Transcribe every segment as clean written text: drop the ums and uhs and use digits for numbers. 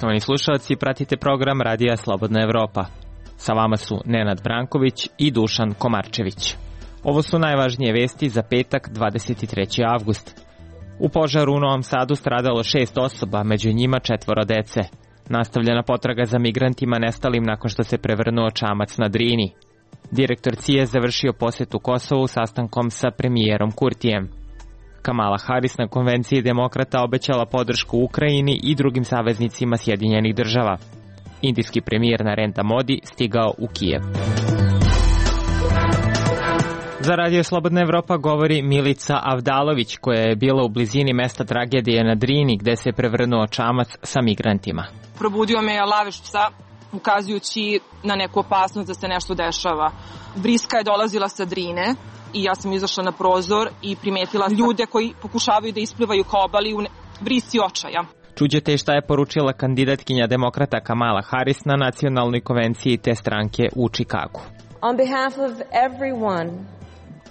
Poštovani slušalci, pratite program Radija Slobodna Evropa. Sa vama su Nenad Branković i Dušan Komarčević. Ovo su najvažnije vesti za petak 23. avgust. U požaru u Novom Sadu stradalo 6 osoba, među njima 4 dece. Nastavljena potraga za migrantima nestalim nakon što se prevrnuo čamac na Drini. Direktor CIA završio posjetu Kosovu sastankom sa premijerom Kurtijem. Kamala Harris na konvenciji demokrata obećala podršku Ukrajini i drugim saveznicima Sjedinjenih država. Indijski premijer Narendra Modi stigao u Kijev. Za Radio Slobodna Evropa govori Milica Avdalović, koja je bila u blizini mesta tragedije na Drini gde se prevrnuo čamac sa migrantima. Probudio me je lavež psa, ukazujući na neku opasnost da se nešto dešava. Vriska je dolazila sa Drine i ja sam izašla na prozor i primetila ljude koji pokušavaju da isplivaju ka obali u vrisci očaja. Čuđete šta je poručila kandidatkinja demokrata Kamala Harris na nacionalnoj konvenciji te stranke u Čikagu. On behalf of everyone,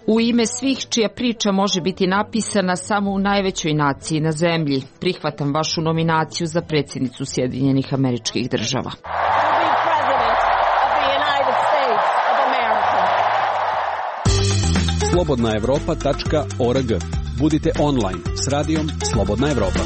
u ime svih čija priča može biti napisana samo u najvećoj naciji na zemlji, prihvatam vašu nominaciju za predsjednicu Sjedinjenih Američkih Država. slobodnaevropa.org. Budite online s radijom Slobodna Evropa.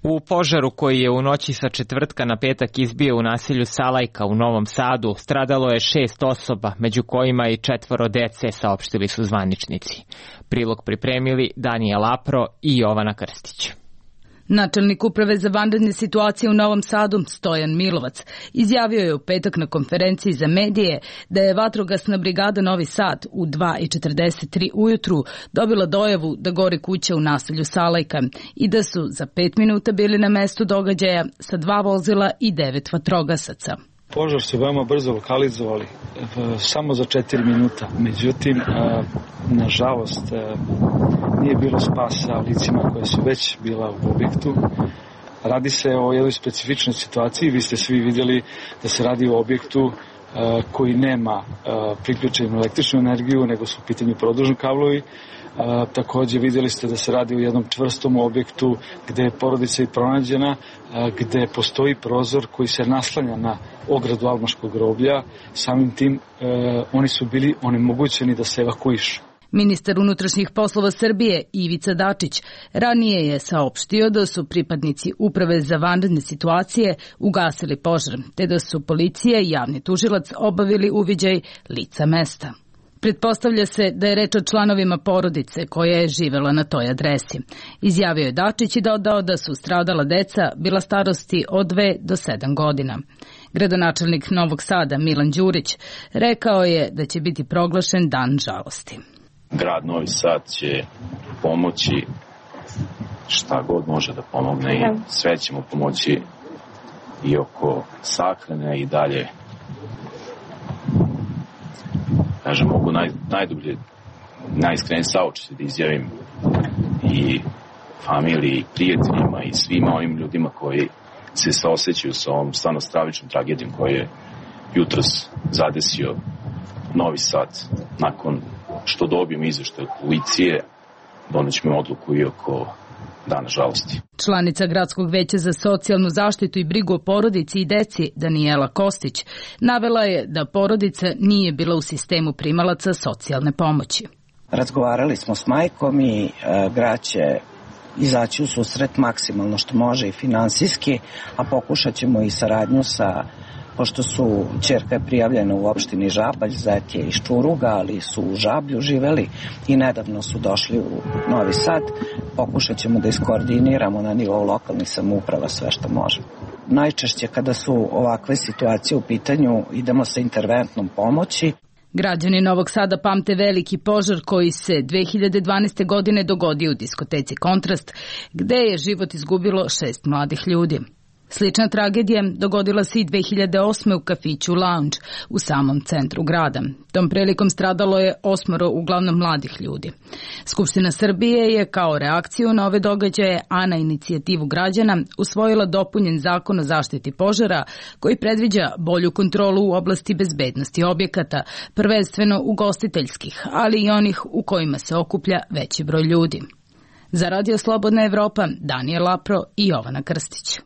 U požaru koji je u noći sa četvrtka na petak izbio u naselju Salajka u Novom Sadu stradalo je 6 osoba, među kojima i 4 dece, saopštili su zvaničnici. Prilog pripremili Danijel Apro i Jovana Krstić. Načelnik uprave za vanredne situacije u Novom Sadu, Stojan Milovac, izjavio je u petak na konferenciji za medije da je vatrogasna brigada Novi Sad u 2:43 ujutru dobila dojavu da gori kuća u naselju Salajka i da su za 5 minuta bili na mestu događaja sa 2 vozila i 9 vatrogasaca. Požar su veoma brzo lokalizovali, samo za 4 minuta. Međutim, nažalost, nije bilo spasa licima koje su već bila u objektu. Radi se o jednoj specifičnoj situaciji. Vi ste svi vidjeli da se radi o objektu koji nema priključenu električnu energiju, nego su u pitanju produžni kablovi. Također vidjeli ste da se radi o jednom čvrstom objektu gde je porodica i pronađena, gde postoji prozor koji se naslanja na ogradu Almaškog groblja. Samim tim oni su bili onemogućeni da se evakuišu. Ministar unutrašnjih poslova Srbije Ivica Dačić ranije je saopštio da su pripadnici Uprave za vanredne situacije ugasili požar, te da su policija i javni tužilac obavili uviđaj lica mesta. Pretpostavlja se da je reč o članovima porodice koja je živela na toj adresi. Izjavio je Dačić i dodao da su stradala deca bila starosti od 2 do 7 godina. Gradonačelnik Novog Sada Milan Đurić rekao je da će biti proglašen dan žalosti. Grad Novi Sad će pomoći šta god može da pomogne i sve ćemo pomoći i oko sahrane i dalje. Kažem, mogu najdublje, najiskrenije saučešće da izjavim i familiji, i prijateljima i svima onim ljudima koji se saosećaju sa ovom stvarno stravičnom tragedijom koju je jutros zadesio Novi Sad. Nakon što dobijem izveštaj od policije, donećemo odluku i oko dana žalosti. Članica Gradskog veća za socijalnu zaštitu i brigu o porodici i deci, Danijela Kostić, navela je da porodica nije bila u sistemu primalaca socijalne pomoći. Razgovarali smo s majkom i grad će izaći u susret maksimalno što može i finansijski, a pokušat ćemo i saradnju sa, pošto su ćerka je prijavljena u opštini Žabalj, zet je iz Čuruga, ali su u Žablju živeli i nedavno su došli u Novi Sad. Pokušat ćemo da iskoordiniramo na nivou lokalnih samouprava sve što možemo. Najčešće kada su ovakve situacije u pitanju idemo sa interventnom pomoći. Građani Novog Sada pamte veliki požar koji se 2012. godine dogodio u diskoteci Kontrast, gde je život izgubilo 6 mladih ljudi. Slična tragedija dogodila se i 2008. u kafiću Lounge u samom centru grada. Tom prilikom stradalo je 8 uglavnom mladih ljudi. Skupština Srbije je kao reakciju na ove događaje, a na inicijativu građana, usvojila dopunjen zakon o zaštiti požara koji predviđa bolju kontrolu u oblasti bezbednosti objekata, prvenstveno ugostiteljskih, ali i onih u kojima se okuplja veći broj ljudi. Za Radio Slobodna Evropa, Danijel Lapro i Jovana Krstić.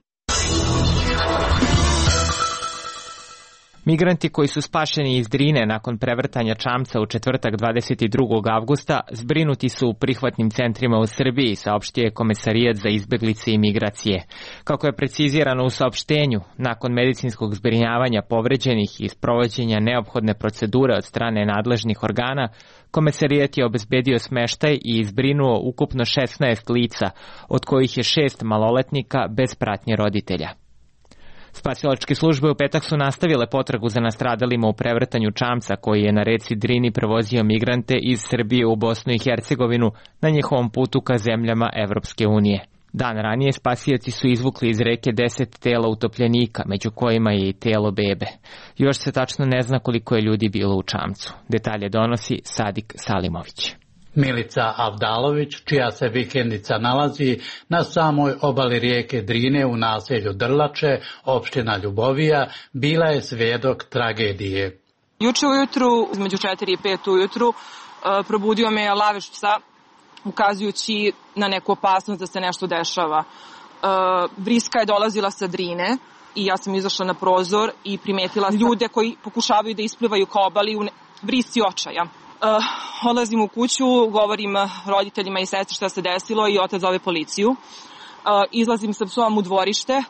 Migranti koji su spašeni iz Drine nakon prevrtanja čamca u četvrtak 22. avgusta zbrinuti su u prihvatnim centrima u Srbiji, saopštio je Komesarijat za izbeglice i migracije. Kako je precizirano u saopštenju, nakon medicinskog zbrinjavanja povređenih i sprovođenja neophodne procedure od strane nadležnih organa, Komesarijat je obezbedio smeštaj i zbrinuo ukupno 16 lica, od kojih je 6 maloletnika bez pratnje roditelja. Spasilačke službe u petak su nastavile potragu za nastradalima u prevrtanju čamca koji je na reci Drini prevozio migrante iz Srbije u Bosnu i Hercegovinu na njihovom putu ka zemljama Evropske unije. Dan ranije spasioci su izvukli iz reke 10 tela utopljenika, među kojima je i telo bebe. Još se tačno ne zna koliko je ljudi bilo u čamcu. Detalje donosi Sadik Salimović. Milica Avdalović, čija se vikendica nalazi na samoj obali rijeke Drine u naselju Drlače, opština Ljubovija, bila je svjedok tragedije. Juče ujutru, između 4 i 5 ujutru, probudio me lavež psa, ukazujući na neku opasnost da se nešto dešava. Vriska je dolazila sa Drine i ja sam izašla na prozor i primetila ljude koji pokušavaju da isplivaju ka obali u vrisci očaja. Odlazim u kuću, govorim roditeljima i sestri šta se desilo i otac zove policiju. Izlazim sa psom u dvorište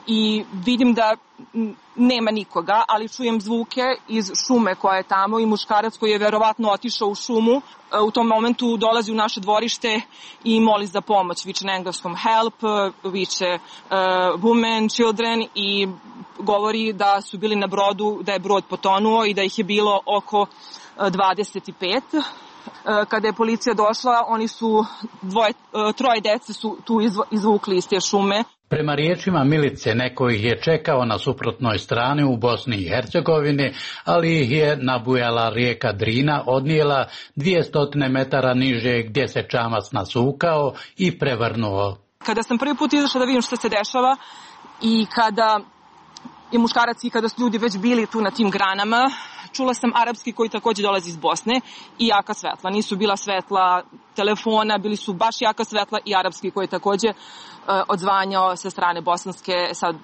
i vidim da nema nikoga, ali čujem zvuke iz šume koja je tamo i muškarac koji je verovatno otišao u šumu. U tom momentu dolazi u naše dvorište i moli za pomoć. Viče na engleskom help, viče women, children i govori da su bili na brodu, da je brod potonuo i da ih je bilo oko 25. Kada je policija došla, oni su troje dece su tu izvukli iz te šume. Prema riječima Milice, neko ih je čekao na suprotnoj strani u Bosni i Hercegovini, ali ih je nabujala rijeka Drina, odnijela 200 metara niže gdje se čamac nasukao i prevrnuo. Kada sam prvi put izašla da vidim što se dešava i kada je muškarac i kada su ljudi već bili tu na tim granama, čula sam arapski koji također dolazi iz Bosne i jaka svetla. Nisu bila svetla telefona, bili su baš jaka svetla i arapski koji je također odzvanjao sa strane bosanske. Sad,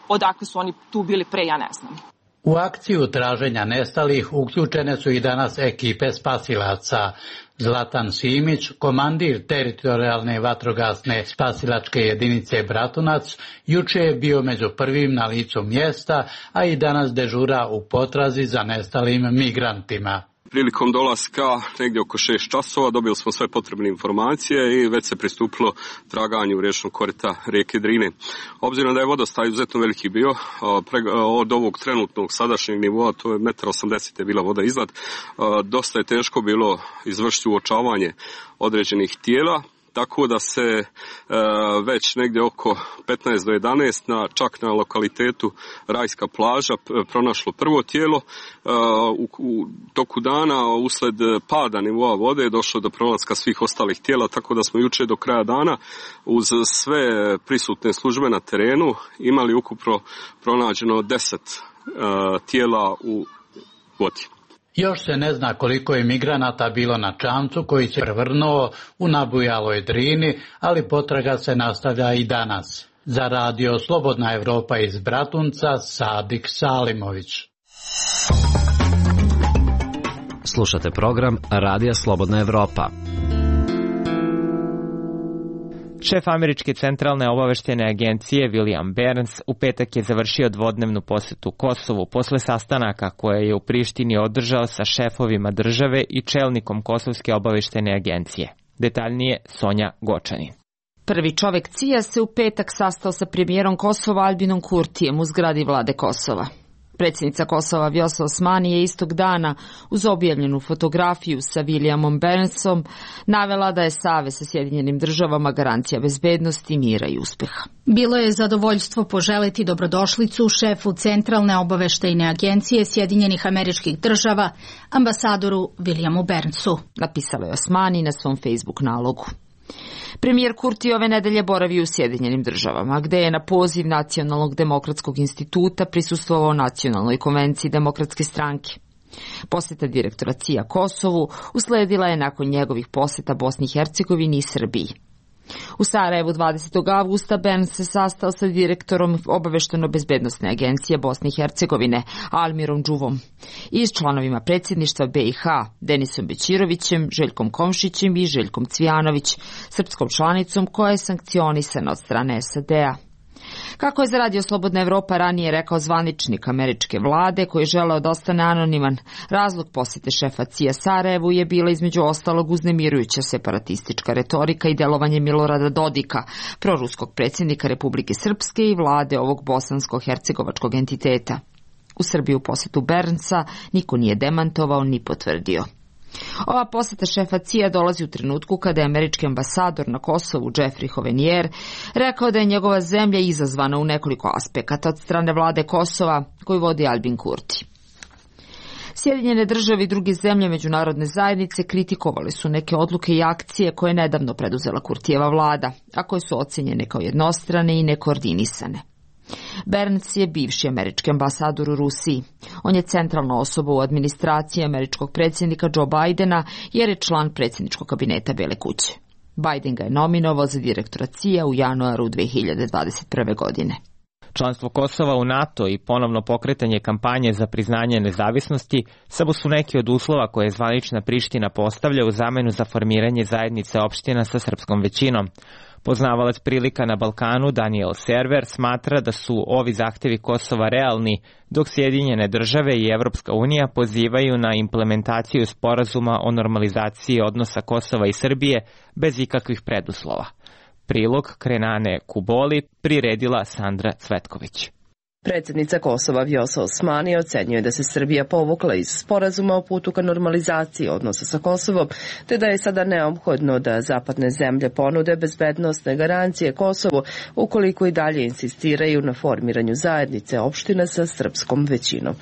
odakle su oni tu bili pre, ja ne znam. U akciju traženja nestalih uključene su i danas ekipe spasilaca. Zlatan Simić, komandir teritorijalne vatrogasne spasilačke jedinice Bratunac, juče je bio među prvim na licu mjesta, a i danas dežura u potrazi za nestalim migrantima. Prilikom dolaska negdje oko 6 časova dobili smo sve potrebne informacije i već se pristupilo traganju riječnog korita rijeke Drine. Obzirom da je vodostaj izuzetno veliki bio, od ovog trenutnog sadašnjeg nivoa, to je 1,80 m je bila voda iznad, dosta je teško bilo izvršiti uočavanje određenih tijela. Tako da se već negdje oko 15 do 11 čak na lokalitetu Rajska plaža pronašlo prvo tijelo. U toku dana usled pada nivoa vode je došlo do pronalaska svih ostalih tijela, tako da smo juče do kraja dana uz sve prisutne službe na terenu imali ukupno pronađeno 10 tijela u vodi. Još se ne zna koliko je migranata bilo na čamcu koji se prevrnuo u nabujaloj Drini, ali potraga se nastavlja i danas. Za Radio Slobodna Evropa iz Bratunca, Sadik Salimović. Slušate program Radija Slobodna Evropa. Šef Američke centralne obaveštene agencije William Burns u petak je završio dvodnevnu posetu Kosovu posle sastanaka koje je u Prištini održao sa šefovima države i čelnikom Kosovske obaveštene agencije. Detaljnije Sonja Gočanin. Prvi čovek CIA se u petak sastao sa premijerom Kosova Albinom Kurtijem u zgradi vlade Kosova. Predsjednica Kosova Vjosa Osmani je istog dana uz objavljenu fotografiju sa Williamom Burnsom navela da je savez sa Sjedinjenim državama garancija bezbednosti, mira i uspeha. Bilo je zadovoljstvo poželiti dobrodošlicu šefu Centralne obaveštajne agencije Sjedinjenih Američkih država, ambasadoru Williamu Burnsu, napisala je Osmani na svom Facebook nalogu. Premijer Kurti ove nedelje boravi u Sjedinjenim državama, gde je na poziv Nacionalnog demokratskog instituta prisustvovao Nacionalnoj konvenciji demokratske stranke. Posjeta direktora CIA Kosovu usledila je nakon njegovih posjeta Bosni i Hercegovini i Srbiji. U Sarajevu 20. avgusta Berns se sastao sa direktorom Obavešteno-bezbednosne agencije Bosne i Hercegovine, Almirom Džuvom, i s članovima predsjedništva BiH, Denisom Bećirovićem, Željkom Komšićem i Željkom Cvijanović, srpskom članicom koja je sankcionisana od strane SAD-a. Kako je za Radio Slobodna Evropa ranije rekao zvaničnik američke vlade koji je želeo da ostane anoniman, razlog posete šefa CIA Sarajevu je bila između ostalog uznemirujuća separatistička retorika i delovanje Milorada Dodika, proruskog predsjednika Republike Srpske i vlade ovog bosansko-hercegovačkog entiteta. U Srbiju posetu Bernsa niko nije demantovao ni potvrdio. Ova poseta šefa CIA dolazi u trenutku kada je američki ambasador na Kosovu Jeffrey Hovenier rekao da je njegova zemlja izazvana u nekoliko aspekata od strane vlade Kosova koju vodi Albin Kurti. Sjedinjene države i druge zemlje međunarodne zajednice kritikovali su neke odluke i akcije koje je nedavno preduzela Kurtijeva vlada, a koje su ocenjene kao jednostrane i nekoordinisane. Berns je bivši američki ambasador u Rusiji. On je centralna osoba u administraciji američkog predsjednika Joe Bidena jer je član predsjedničkog kabineta Bele kuće. Biden ga je nominovao za direktora CIA u januaru 2021. godine. Članstvo Kosova u NATO i ponovno pokretanje kampanje za priznanje nezavisnosti samo su neki od uslova koje zvanična Priština postavlja u zamenu za formiranje zajednice opština sa srpskom većinom. Poznavalac prilika na Balkanu Daniel Server smatra da su ovi zahtevi Kosova realni, dok Sjedinjene države i Evropska unija pozivaju na implementaciju sporazuma o normalizaciji odnosa Kosova i Srbije bez ikakvih preduslova. Prilog Krenane Kuboli priredila Sandra Cvetković. Predsjednica Kosova Vjosa Osmani ocenjuje da se Srbija povukla iz sporazuma o putu ka normalizaciji odnosa sa Kosovom, te da je sada neophodno da zapadne zemlje ponude bezbednosne garancije Kosovu ukoliko i dalje insistiraju na formiranju zajednice opština sa srpskom većinom.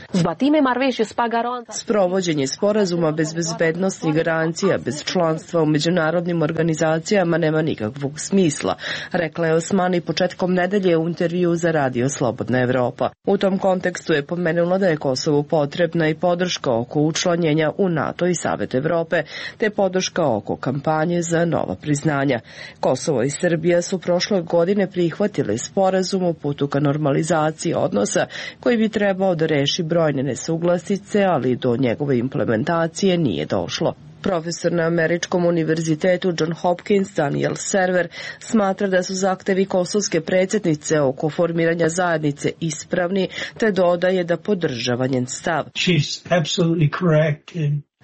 Sprovođenje sporazuma bez bezbednosnih garancija, bez članstva u međunarodnim organizacijama nema nikakvog smisla, rekla je Osmani početkom nedelje u intervju za Radio Slobodna Evropa. U tom kontekstu je pomenula da je Kosovu potrebna i podrška oko učlanjenja u NATO i Savet Evrope, te podrška oko kampanje za nova priznanja. Kosovo i Srbija su prošle godine prihvatili sporazum o putu ka normalizaciji odnosa koji bi trebao da reši brojne nesuglasice, ali do njegove implementacije nije došlo. Profesor na Američkom univerzitetu John Hopkins Daniel Server smatra da su zahtevi kosovske predsjednice oko formiranja zajednice ispravni, te dodaje da podržava njen stav.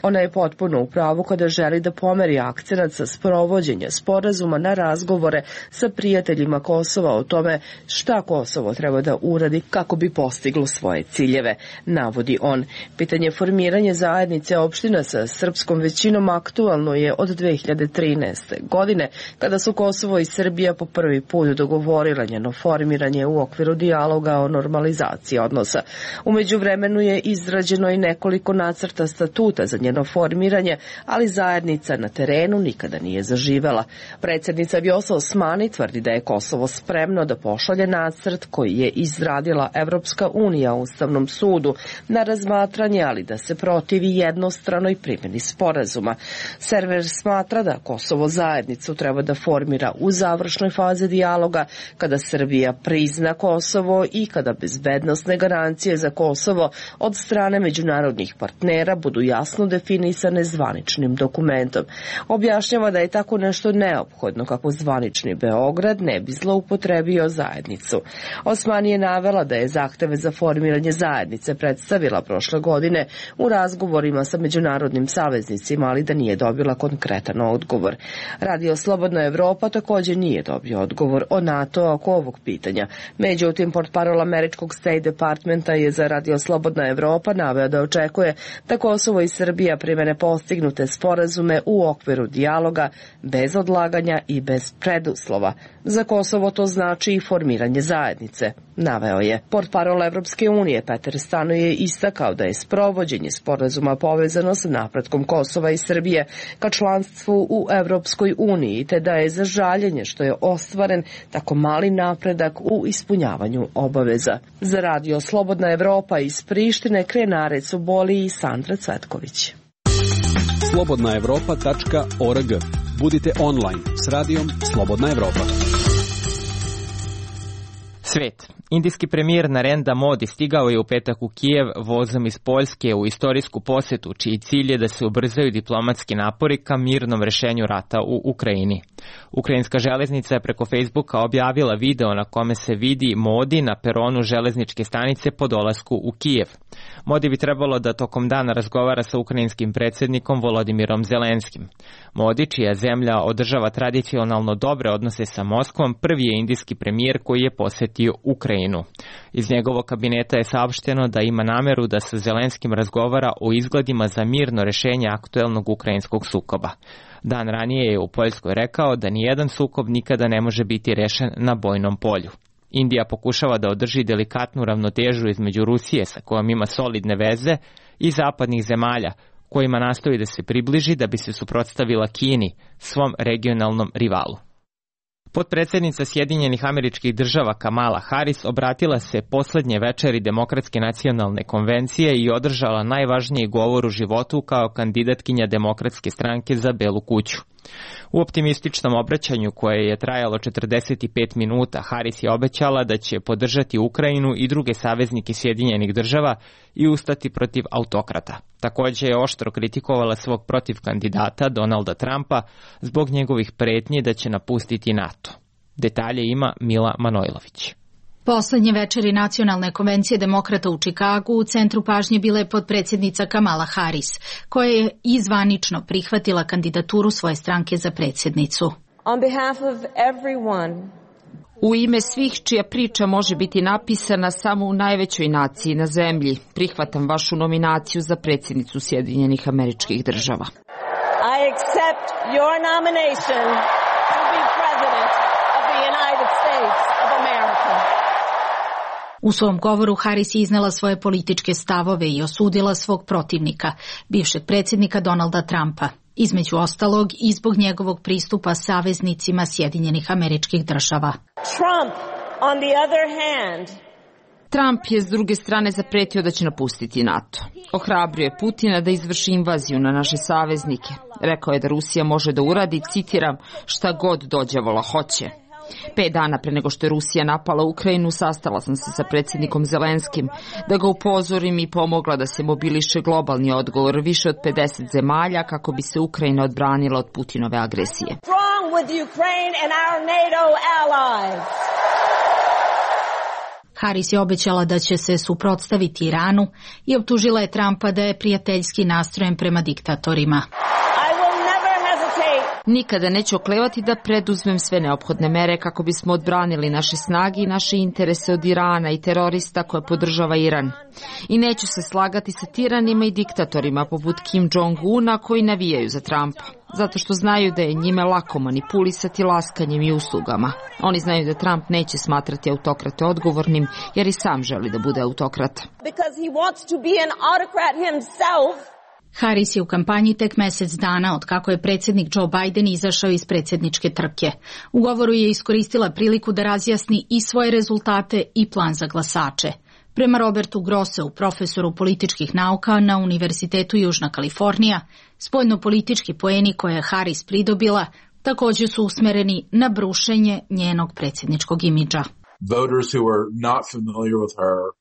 Ona je potpuno u pravu kada želi da pomeri akcenat sa sprovođenja sporazuma na razgovore sa prijateljima Kosova o tome šta Kosovo treba da uradi kako bi postiglo svoje ciljeve, navodi on. Pitanje formiranja zajednice opština sa srpskom većinom aktualno je od 2013. godine, kada su Kosovo i Srbija po prvi put dogovorila njeno formiranje u okviru dijaloga o normalizaciji odnosa. U međuvremenu je izrađeno i nekoliko nacrta statuta za njeno formiranje, ali zajednica na terenu nikada nije zaživela. Predsjednica Vjosa Osmani tvrdi da je Kosovo spremno da pošalje nacrt koji je izradila Evropska unija Ustavnom sudu na razmatranje, ali da se protivi jednostranoj primjeni sporazuma. Server smatra da Kosovo zajednicu treba da formira u završnoj fazi dijaloga, kada Srbija prizna Kosovo i kada bezbednosne garancije za Kosovo od strane međunarodnih partnera budu jasno definisane zvaničnim dokumentom. Objašnjava da je tako nešto neophodno kako zvanični Beograd ne bi zloupotrebio zajednicu. Osmani je navela da je zahteve za formiranje zajednice predstavila prošle godine u razgovorima sa međunarodnim saveznicima, ali da nije dobila konkretan odgovor. Radio Slobodna Evropa također nije dobio odgovor o NATO oko ovog pitanja. Međutim, portparol američkog State Departmenta je za Radio Slobodna Evropa naveo da očekuje da Kosovo i Srbija primene postignute sporazume u okviru dijaloga bez odlaganja i bez preduslova. Za Kosovo to znači i formiranje zajednice, naveo je. Portparol Evropske unije Peter Stano je istakao da je sprovođenje sporazuma povezano sa napretkom Kosova i Srbije ka članstvu u Evropskoj uniji, te da je za žaljenje što je ostvaren tako mali napredak u ispunjavanju obaveza. Za Radio Slobodna Evropa iz Prištine Krenare Cuboli i Sandra Cvetković. slobodnaevropa.org. Budite online s radijom Slobodna Evropa. Svet. Indijski premijer Narendra Modi stigao je u petak u Kijev vozom iz Poljske u istorijsku posetu, čiji cilj je da se ubrzaju diplomatski napori ka mirnom rešenju rata u Ukrajini. Ukrajinska železnica je preko Facebooka objavila video na kome se vidi Modi na peronu železničke stanice po dolasku u Kijev. Modi bi trebalo da tokom dana razgovara sa ukrajinskim predsjednikom Volodimirom Zelenskim. Modi, čija zemlja održava tradicionalno dobre odnose sa Moskvom, prvi je indijski premijer koji je posetio Ukrajinu. Iz njegovog kabineta je saopšteno da ima nameru da sa Zelenskim razgovara o izgledima za mirno rešenje aktuelnog ukrajinskog sukoba. Dan ranije je u Poljskoj rekao da nijedan sukob nikada ne može biti rešen na bojnom polju. Indija pokušava da održi delikatnu ravnotežu između Rusije, sa kojom ima solidne veze, i zapadnih zemalja, kojima nastoji da se približi da bi se suprotstavila Kini, svom regionalnom rivalu. Potpredsjednica Sjedinjenih Američkih Država Kamala Harris obratila se poslednje večeri Demokratske nacionalne konvencije i održala najvažniji govor u životu kao kandidatkinja Demokratske stranke za Belu kuću. U optimističnom obraćanju koje je trajalo 45 minuta, Harris je obećala da će podržati Ukrajinu i druge saveznike Sjedinjenih Država i ustati protiv autokrata. Također je oštro kritikovala svog protivkandidata Donalda Trumpa zbog njegovih pretnji da će napustiti NATO. Detalje ima Mila Manojlović. Poslednje večeri Nacionalne konvencije demokrata u Čikagu u centru pažnje bila je potpredsjednica Kamala Harris, koja je izvanično prihvatila kandidaturu svoje stranke za predsjednicu. On behalf of everyone, u ime svih čija priča može biti napisana samo u najvećoj naciji na zemlji, prihvatam vašu nominaciju za predsjednicu Sjedinjenih Američkih Država. I accept your nomination to be president of the United States of America. U svom govoru Harris je iznela svoje političke stavove i osudila svog protivnika, bivšeg predsjednika Donalda Trumpa, između ostalog i zbog njegovog pristupa saveznicima Sjedinjenih Američkih Država. Trump, on the other hand, Trump je s druge strane zapretio da će napustiti NATO. Ohrabrio je Putina da izvrši invaziju na naše saveznike. Rekao je da Rusija može da uradi, citiram, šta god dođavola hoće. 5 dana pre nego što je Rusija napala Ukrajinu, sastala sam se sa predsjednikom Zelenskim da ga upozorim i pomogla da se mobiliše globalni odgovor više od 50 zemalja kako bi se Ukrajina odbranila od Putinove agresije. Harris je obećala da će se suprotstaviti Iranu i optužila je Trumpa da je prijateljski nastrojen prema diktatorima. Nikada neću oklevati da preduzmem sve neophodne mere kako bismo odbranili naše snage i naše interese od Irana i terorista koje podržava Iran. I neću se slagati sa tiranima i diktatorima poput Kim Jong-una koji navijaju za Trumpa, zato što znaju da je njime lako manipulisati laskanjem i uslugama. Oni znaju da Trump neće smatrati autokrate odgovornim jer i sam želi da bude autokrat. Harris je u kampanji tek mjesec dana od kako je predsjednik Joe Biden izašao iz predsjedničke trke. U govoru je iskoristila priliku da razjasni i svoje rezultate i plan za glasače. Prema Robertu Grosseu, profesoru političkih nauka na Univerzitetu Južna Kalifornija, spoljno-politički poeni koje je Harris pridobila također su usmereni na brušenje njenog predsjedničkog imidža.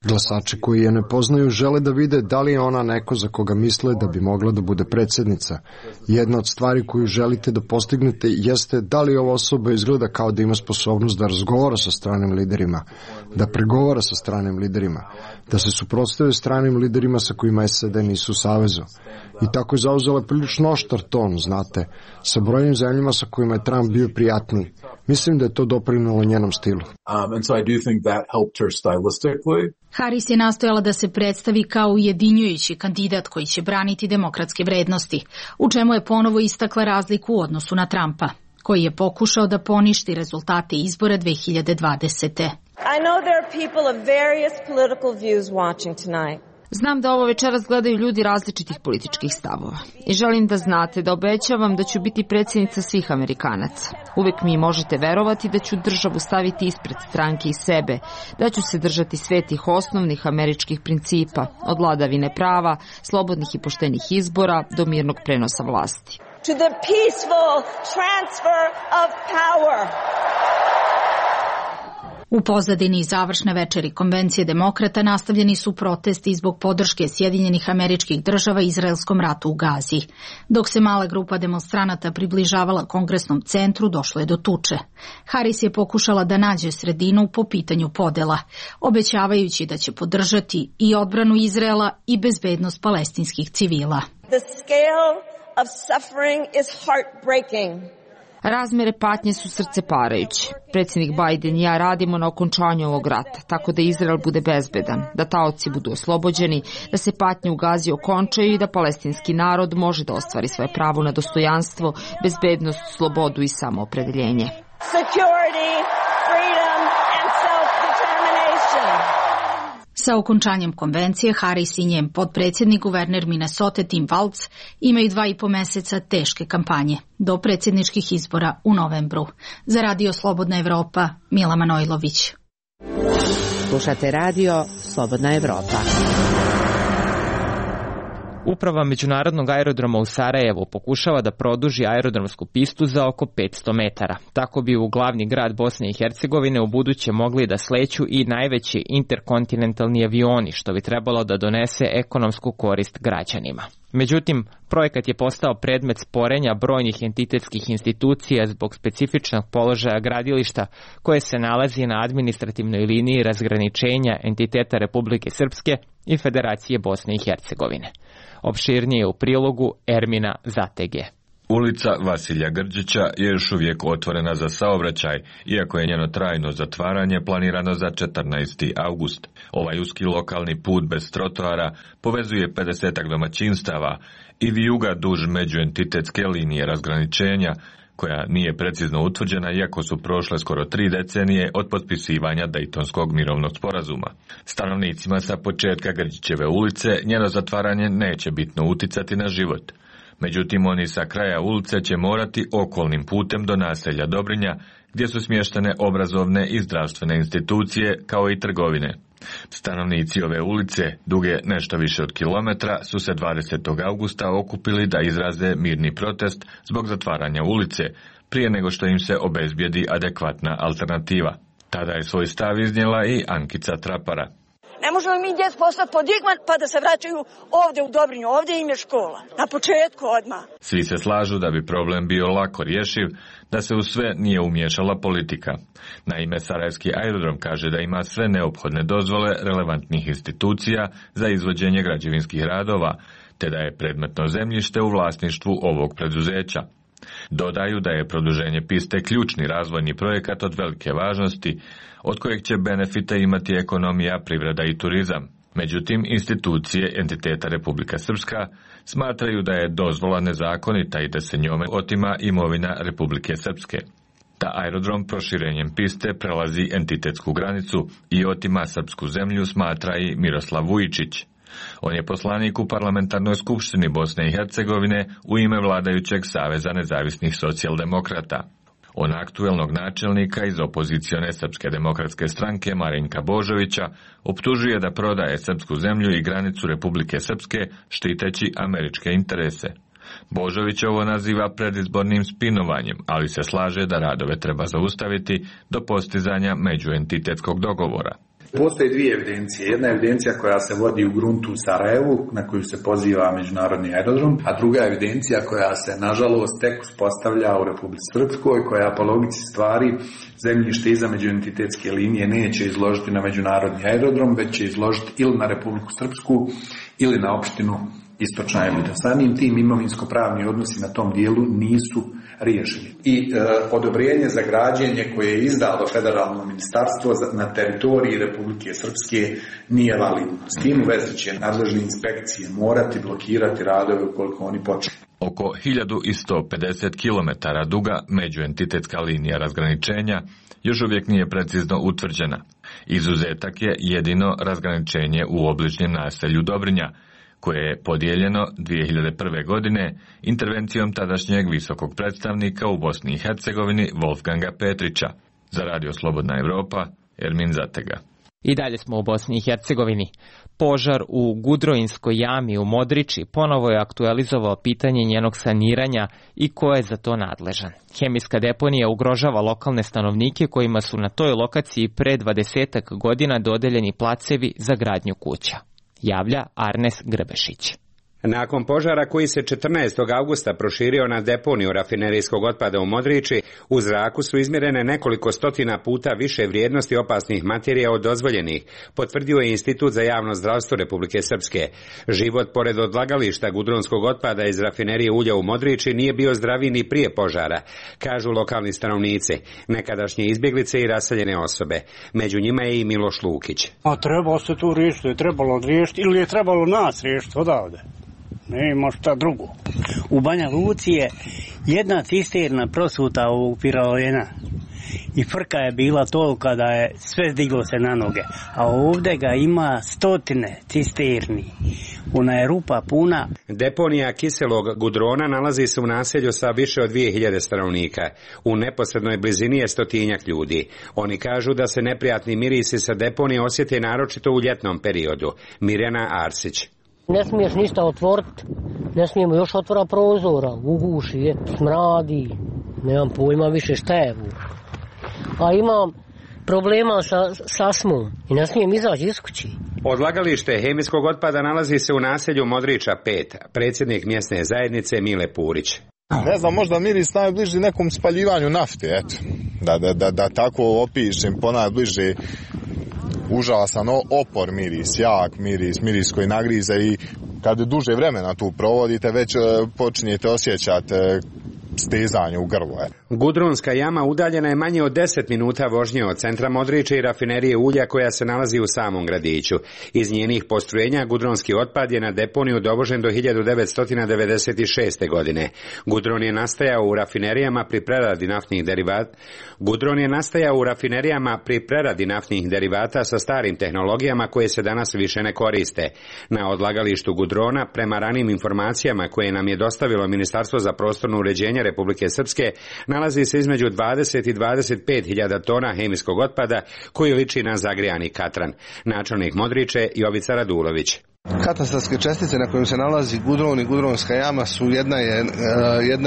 Glasači koji je ne poznaju žele da vide da li je ona neko za koga misle da bi mogla da bude predsjednica. Jedna od stvari koju želite da postignete jeste da li ova osoba izgleda kao da ima sposobnost da razgovara sa stranim liderima, da pregovara sa stranim liderima, da se suprotstave stranim liderima sa kojima SAD nisu u savezu. I tako je zauzela prilično oštar ton, znate, sa brojnim zemljama sa kojima je Trump bio prijatniji. Mislim da je to doprinelo njenom stilu. Harris je nastojala da se predstavi kao ujedinjujući kandidat koji će braniti demokratske vrednosti, u čemu je ponovo istakla razliku u odnosu na Trumpa, koji je pokušao da poništi rezultate izbora 2020. I know there are people of various political views watching tonight. Znam da ovo večeras gledaju ljudi različitih političkih stavova i želim da znate da obećavam da ću biti predsjednica svih Amerikanaca. Uvijek mi možete verovati da ću državu staviti ispred stranke i sebe, da ću se držati svetih osnovnih američkih principa, od vladavine prava, slobodnih i poštenih izbora do mirnog prenosa vlasti. to the peaceful transfer of power. U pozadini završne večeri konvencije demokrata nastavljeni su protesti zbog podrške Sjedinjenih Američkih Država izraelskom ratu u Gazi. Dok se mala grupa demonstranata približavala kongresnom centru, došlo je do tuče. Harris je pokušala da nađe sredinu po pitanju podela, obećavajući da će podržati i odbranu Izraela i bezbednost palestinskih civila. The scale of suffering is heartbreaking. Razmere patnje su srceparajuće. Predsjednik Biden i ja radimo na okončanju ovog rata, tako da Izrael bude bezbedan, da taoci budu oslobođeni, da se patnje u Gazi okončaju i da palestinski narod može da ostvari svoje pravo na dostojanstvo, bezbednost, slobodu i samoopredeljenje. Security, freedom and self-determination. Sa okončanjem konvencije, Harris i njen potpredsjednik guverner Minnesota Tim Walz imaju 2,5 meseca teške kampanje do predsjedničkih izbora u novembru. Za Radio Slobodna Evropa, Mila Manojlović. Slušate Radio Slobodna Evropa. Uprava Međunarodnog aerodroma u Sarajevu pokušava da produži aerodromsku pistu za oko 500 metara. Tako bi u glavni grad Bosne i Hercegovine u buduće mogli da sleću i najveći interkontinentalni avioni, što bi trebalo da donese ekonomsku korist građanima. Međutim, projekat je postao predmet sporenja brojnih entitetskih institucija zbog specifičnog položaja gradilišta koje se nalazi na administrativnoj liniji razgraničenja entiteta Republike Srpske i Federacije Bosne i Hercegovine. Opširnije u prilogu Ermina Zatege. Ulica Vasilja Grđića je još uvijek otvorena za saobraćaj, iako je njeno trajno zatvaranje planirano za 14. avgust. Ovaj uski lokalni put bez trotoara povezuje 50 domaćinstava i vijuga duž međuentitetske linije razgraničenja, koja nije precizno utvrđena iako su prošle skoro 3 decenije od potpisivanja Dejtonskog mirovnog sporazuma. Stanovnicima sa početka Grđićeve ulice njeno zatvaranje neće bitno uticati na život. Međutim, oni sa kraja ulice će morati okolnim putem do naselja Dobrinja, gdje su smještene obrazovne i zdravstvene institucije, kao i trgovine. Stanovnici ove ulice, duge nešto više od kilometra, su se 20. augusta okupili da izraze mirni protest zbog zatvaranja ulice, prije nego što im se obezbijedi adekvatna alternativa. Tada je svoj stav iznijela i Ankica Trapara. Ne možemo mi djecu poslati pod Igman pa da se vraćaju ovdje u Dobrinju, ovdje im je škola. Na početku odmah. Svi se slažu da bi problem bio lako rješiv, da se u sve nije umiješala politika. Naime, Sarajevski aerodrom kaže da ima sve neophodne dozvole relevantnih institucija za izvođenje građevinskih radova, te da je predmetno zemljište u vlasništvu ovog preduzeća. Dodaju da je produženje piste ključni razvojni projekat od velike važnosti, od kojeg će benefite imati ekonomija, privreda i turizam. Međutim, institucije entiteta Republika Srpska smatraju da je dozvola nezakonita i da se njome otima imovina Republike Srpske. Da aerodrom proširenjem piste prelazi entitetsku granicu i otima srpsku zemlju, smatra i Miroslav Vujičić. On je poslanik u Parlamentarnoj skupštini Bosne i Hercegovine u ime vladajućeg Saveza nezavisnih socijaldemokrata. On aktuelnog načelnika iz opozicione Srpske demokratske stranke Marinka Božovića optužuje da prodaje srpsku zemlju i granicu Republike Srpske štiteći američke interese. Božović ovo naziva predizbornim spinovanjem, ali se slaže da radove treba zaustaviti do postizanja međuentitetskog dogovora. Postoje dvije evidencije. Jedna evidencija koja se vodi u gruntu u Sarajevu, na koju se poziva Međunarodni aerodrom, a druga evidencija koja se, nažalost, tek uspostavlja u Republici Srpskoj, koja po logici stvari zemljište iza međuentitetske linije neće izložiti na Međunarodni aerodrom, već će izložiti ili na Republiku Srpsku ili na opštinu Istočna Elida. Samim tim imovinsko-pravni odnosi na tom dijelu nisu riješeni. I odobrenje za građenje koje je izdalo federalno ministarstvo na teritoriji Republike Srpske nije validno. S tim u vezi će nadležne inspekcije morati blokirati radove ukoliko oni počnu. Oko 1150 km duga međuentitetska linija razgraničenja još uvijek nije precizno utvrđena. Izuzetak je jedino razgraničenje u obližnjem naselju Dobrinja, koje je podijeljeno 2001. godine intervencijom tadašnjeg visokog predstavnika u Bosni i Hercegovini Wolfganga Petrića. Za Radio Slobodna Evropa, Ermin Zatega. I dalje smo u Bosni i Hercegovini. Požar u Gudroinskoj jami u Modriči ponovo je aktualizovao pitanje njenog saniranja i ko je za to nadležan. Hemijska deponija ugrožava lokalne stanovnike kojima su na toj lokaciji pre 20 godina dodeljeni placevi za gradnju kuća. Javlja Arnes Grbešić. Nakon požara koji se 14. avgusta proširio na deponiju rafinerijskog otpada u Modriči, u zraku su izmjerene nekoliko stotina puta više vrijednosti opasnih materija od dozvoljenih, potvrdio je Institut za javno zdravstvo Republike Srpske. Život pored odlagališta gudronskog otpada iz rafinerije ulja u Modriči nije bio zdraviji ni prije požara, kažu lokalni stanovnici, nekadašnje izbjeglice i raseljene osobe. Među njima je i Miloš Lukić. Trebalo se tu riješiti, je trebalo riješiti ili je trebalo nas riješiti odavde. Nema šta drugo. U Banja Luci je jedna cisterna prosuta u Piroljena i frka je bila tolika da je sve zdiglo se na noge. A ovdje ga ima stotine cisterni. Ona je rupa puna. Deponija kiselog gudrona nalazi se u naselju sa više od 2000 stanovnika. U neposrednoj blizini je stotinjak ljudi. Oni kažu da se neprijatni mirisi sa deponije osjete naročito u ljetnom periodu. Mirjana Arsić. Ne smiješ ništa otvoriti, ne smijemo još otvora prozora, uguši je, smradi, nemam pojma više šta je. A imam problema sa astmom i ne smijem izaći iz kući. Odlagalište hemijskog otpada nalazi se u naselju Modriča 5, predsjednik mjesne zajednice Mile Purić. Ne znam, možda miris najbliži nekom spaljivanju nafte, eto, da tako opišem, ponajbliže užasan opor miris, jak miris koji nagrize i kad duže vremena tu provodite već počinjete osjećati stezanje u grlu. Gudronska jama udaljena je manje od 10 minuta vožnje od centra Modriče i rafinerije ulja koja se nalazi u samom gradiću. Iz njenih postrojenja gudronski otpad je na deponiju dovožen do 1996. godine. Gudron je nastajao u rafinerijama pri preradi naftnih derivata sa starim tehnologijama koje se danas više ne koriste. Na odlagalištu gudrona, prema ranim informacijama koje nam je dostavilo Ministarstvo za prostorno uređenje Republike Srpske, nalazi se između 20 i 25 hiljada tona hemijskog otpada koji liči na zagrijani katran. Načelnik Modriče Jovica Radulović. Katastarske čestice na kojim se nalazi gudron i gudronska jama su jedna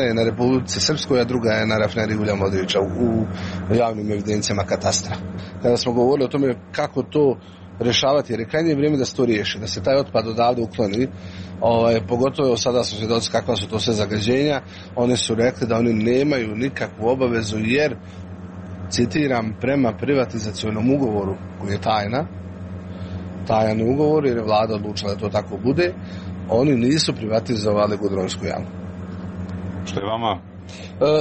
je na Republici Srpskoj, a druga je na rafineriji ulja Modriča u javnim evidencijama katastra. Kada smo govorili o tome kako to rješavati, jer je krajnje vrijeme da se to riješi, da se taj otpad odavde ukloni, pogotovo sada su svjedoci kakva su to sve zagađenja. Oni su rekli da oni nemaju nikakvu obavezu jer, citiram, prema privatizacionom ugovoru koji je tajan ugovor jer je vlada odlučila da to tako bude, oni nisu privatizovali gudronsku jamu. Što je vama?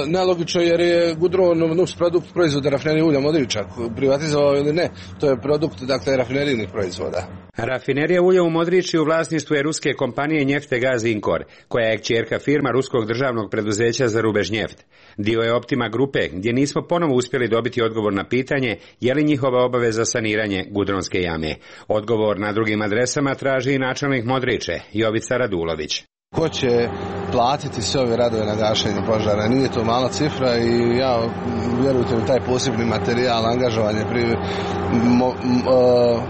Nelogično jer je gudron produkt proizvoda rafinerije ulja Modriča, privatizovao ili ne, to je produkt rafinerijnih proizvoda. Rafinerija ulja u Modriči u vlasništvu je ruske kompanije Neftegaz Inkor, koja je kćerka firma ruskog državnog preduzeća za Rubežnjeft. Dio je Optima grupe, gdje nismo ponovo uspjeli dobiti odgovor na pitanje je li njihova obaveza saniranje gudronske jame. Odgovor na drugim adresama traži i načelnik Modriče, Jovica Radulović. Ko će platiti sve ove radove na gašenju požara? Nije to mala cifra i ja, vjerujte mi, taj posebni materijal, angažovanje,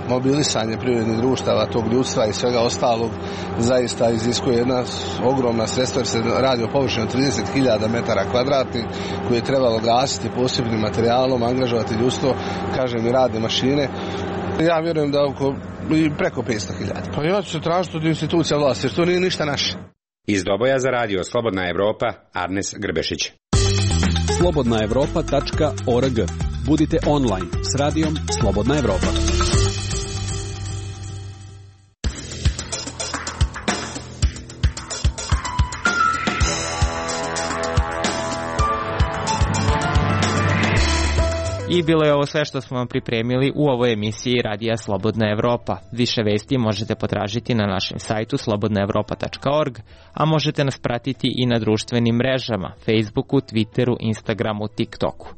mobilisanje privrednih društava, tog ljudstva i svega ostalog zaista iziskuje jedna ogromna sredstva jer se radi o površini od 30.000 metara kvadratnih koje je trebalo gasiti posebnim materijalom, angažovati ljudstvo, kažem i radne mašine. Ja vjerujem da preko 500.000. Pa ja ću se tražiti od institucija vlasti jer to nije ništa naše. Iz Doboja za radio Slobodna Evropa, Arnes Grbešić. slobodnaevropa.org. Budite online s radijom Slobodna Evropa. I bilo je ovo sve što smo vam pripremili u ovoj emisiji Radija Slobodna Evropa. Više vesti možete potražiti na našem sajtu slobodnaevropa.org, a možete nas pratiti i na društvenim mrežama, Facebooku, Twitteru, Instagramu, TikToku.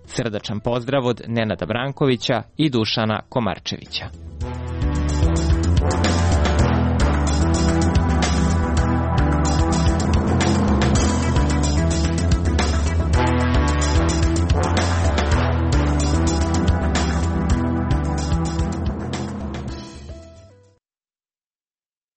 Srdačan pozdrav od Nenada Brankovića i Dušana Komarčevića.